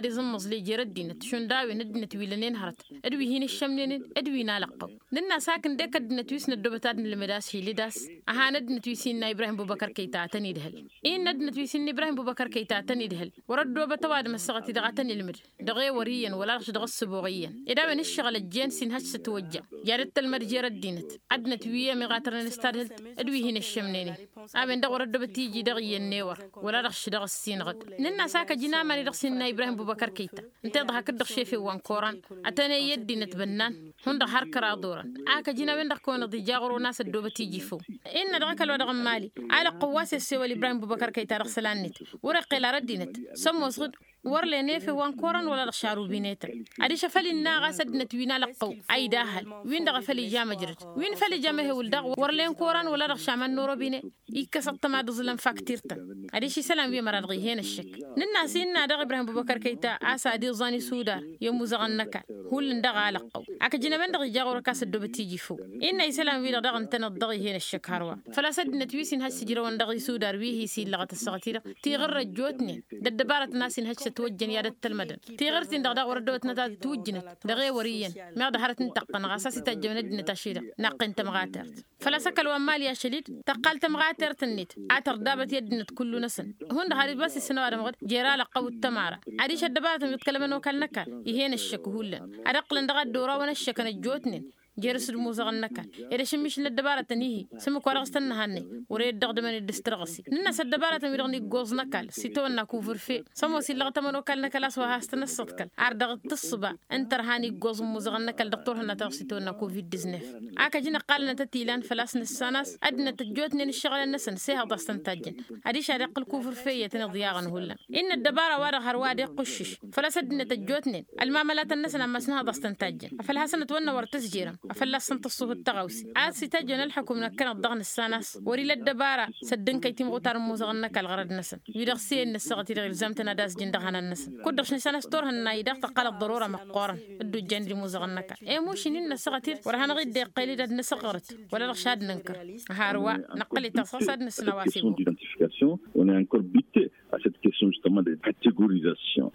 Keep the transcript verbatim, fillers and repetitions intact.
ad-iẓǝmmăẓle jer-ăddinăt šund a-wen ăddinăt wi lănen hărăt d-wi hin-ǝššămnenen d-wi n-alăqqăw. Nǝnn'-as hak ǝndek ăddinăt wi s-năddobăt ad-nǝlmǝd a-s hilǝd a-s ăhan ăddinăt wi s-innă ibrahim bubăkăr kăyta ad-tăn-idhăl. Innă ăddinăt wi s-innă ibrahim bubăkăr kăyta ad-tăn-idhăl wăr-ăddoobăt ăwadǝm ăssaɣăt-i-dăɣ a tăn-ilmǝd dăɣ-e wăr' iyyăn wăla-dăɣ š-dăɣ-ăssǝboɣ iyyăn ed a-wen ǝššăɣǝl ăjjeen s-inhăj s-ătwăjja i-ad-ăttălmăd jer-ăddinăt. Ăddinăt wi ămiɣatărnen s-tadhǝlt d-wi hin-ăššămnenen a-wen-dăɣ wăr-ăddobăt iji dăɣ-iyyăn n-ewăr wăla-dăɣ š-dăɣ-ăssinɣăd. Nǝnn'-as hak ăjǝn aman-i-dăɣ s-innă ibrahim bubăkăr kăyta ǝnta iḍhak-dd dăɣ-šefen wa n-koran ătăney i-ăddinăt bănnan hundăɣ har kăraḍ orăn. Ak ăjǝn a-wen-dăɣ kăwăn-iḍija ɣur-onas ăddoobăt iji făw. Innă dăɣ-ăkall wa dăɣ-n mali alăqqăw wa s-issewăl ibrahim bubăkăr kăyta dăɣ-isălan-net wăr-iqqel ar ăddinăt sămoosăɣ-dd wăr-len efew wa n-koran wăla dăɣ-šarubin etăn. Adiš afăl innă ɣas ăddinăt wi n-alăqqăw a idahăl win-dăɣ afăl ija măjrăd win făl ija mehewǝl daɣ wăr-len koran wăla dăɣ-šamăn n-orobine. Ikkăs ăṭṭăma d-iẓǝlăn faktir-tăn. Adiš isălan wi ămăra-dăɣ ih'-en ăššăk. Nǝnn'-as innă daɣ ibrahim bubăkăr kăyta a-s ad-iẓan isudar i-ămuzăɣăn n-ăkall hullan dăɣ-alăqqăw. Ak ǝjǝn a-wen-dăɣ ija ɣur-ăkk a-s ăddoobăt iji făw. Innă isălan-wi-dăɣ daɣ ǝntăneḍ dăɣ-ih'-en ăššăk hărwa făl-a-s ăddinăt wi s-inhăj s-ǝjrăwăn dăɣ-isudar wi hi-s illăɣăt ăssaɣăt-i-dăɣ tiɣǝr ăjjootnen d-ăddăbarăt n-a-s inhăj s-ătwăjjăn i-ad-ăttălmădăn. Tiɣǝrt-in-dăɣ daɣ wăr-ăddăwătnăt ad-ǝtwǝjjǝnăt dăɣ-e wăr' iyyăn meɣ dăhărăt n-tăqqăn ɣas a-s ităjjăwăn ăddinăt ašăl-i-dăɣ naqqen tămɣatert. Făl-a-s ăkall wa n-mali ašăl-dd tăqqal tămɣatert-net a tărdabăt i-ăddinăt kullu-năsăn. Hundăɣ har ibas isǝnăw ad-ămɣăd jer-alăqqăw d-tămara. Adiš ăddăbarătăn wi ǝḍkălămăn okal n-ăkall ih'-en ăššăk hullan ad-ǝqqǝlăn dăɣ-ad-dd-orawen ăššăkăn ăjjootnen jer-s d-imuzăɣăn n-ăkall. Ed ašǝmmišǝl n-ăddăbarătăn ihi s-ǝmmǝk wa dăɣ-s tăn-năhannăy wăr-e dd-dăɣ-dămăn-dd s-tărɣǝse. Nǝnn'-as ăddăbarătăn-wi-dăɣ n-iggoẓ n-ăkall s-itawănna kuvǝrfe s-ămoos illăɣ tămănokal n-ăkall a-s wa has-tăn-ăssăḍkăl ar dăɣ-tǝssǝba n-tărha n-iggoẓ n-imuzăɣăn n-ăkall dăɣ-turhǝnna ta dăɣ-s itawănna covid-diznef. Ak ăjǝn ǝqqalănăt ătilan făl-a-s nǝssan a-s ăddinăt ăjjootnen ǝššăɣǝlăn-năsăn s-ehăḍ a-s tăn-tajjăn. Adiš ad-iqqǝl kuvǝrfe iyyăt ăniḍyaɣăn hullan. Innă ăddăbara-wa-dăɣ hărwa ad-iqqǝššǝš făl-a-s ăddinăt ăjjootnen ălmamălatăn-năsăn ammas nǝhăḍ a-s tăn-tajjăn. Afăl hasăn-ătwănnă wăr tǝzjerăm afăl a-s săn-tǝṣṣuhǝd tăɣawse a-s itajjăn ălxukum năkkăneḍ dăɣ-nǝssan a-s wăr-ila ăddăbara s-ăddǝnkăy timɣutar n-imuzăɣăn n-ăkall ɣărăd-năsăn. Wi-dăɣ s-e-innă ăssaɣăt-i-dăɣ ilzam-tăn ad-azjǝn dăɣ-ihănan-năsăn kud-dăɣ š-nǝssan a-s turhǝnna-i-dăɣ tăqqal ăḍḍărora măqqoorăn. Dd-ujjan d-imuzăɣăn n-ăkall emuš-in innă ăssaɣăt-i-dăɣ wăr hanăɣ-dd-iqqăl-dd ad-nǝsǝɣɣărăt wăla-dăɣ šad nǝnkăr. Hărwa năqqăl-i taṣaṣ ad-nǝsnăw a-s ibu. Question d'identification. On est encore buté à cette question justement de catégorisation.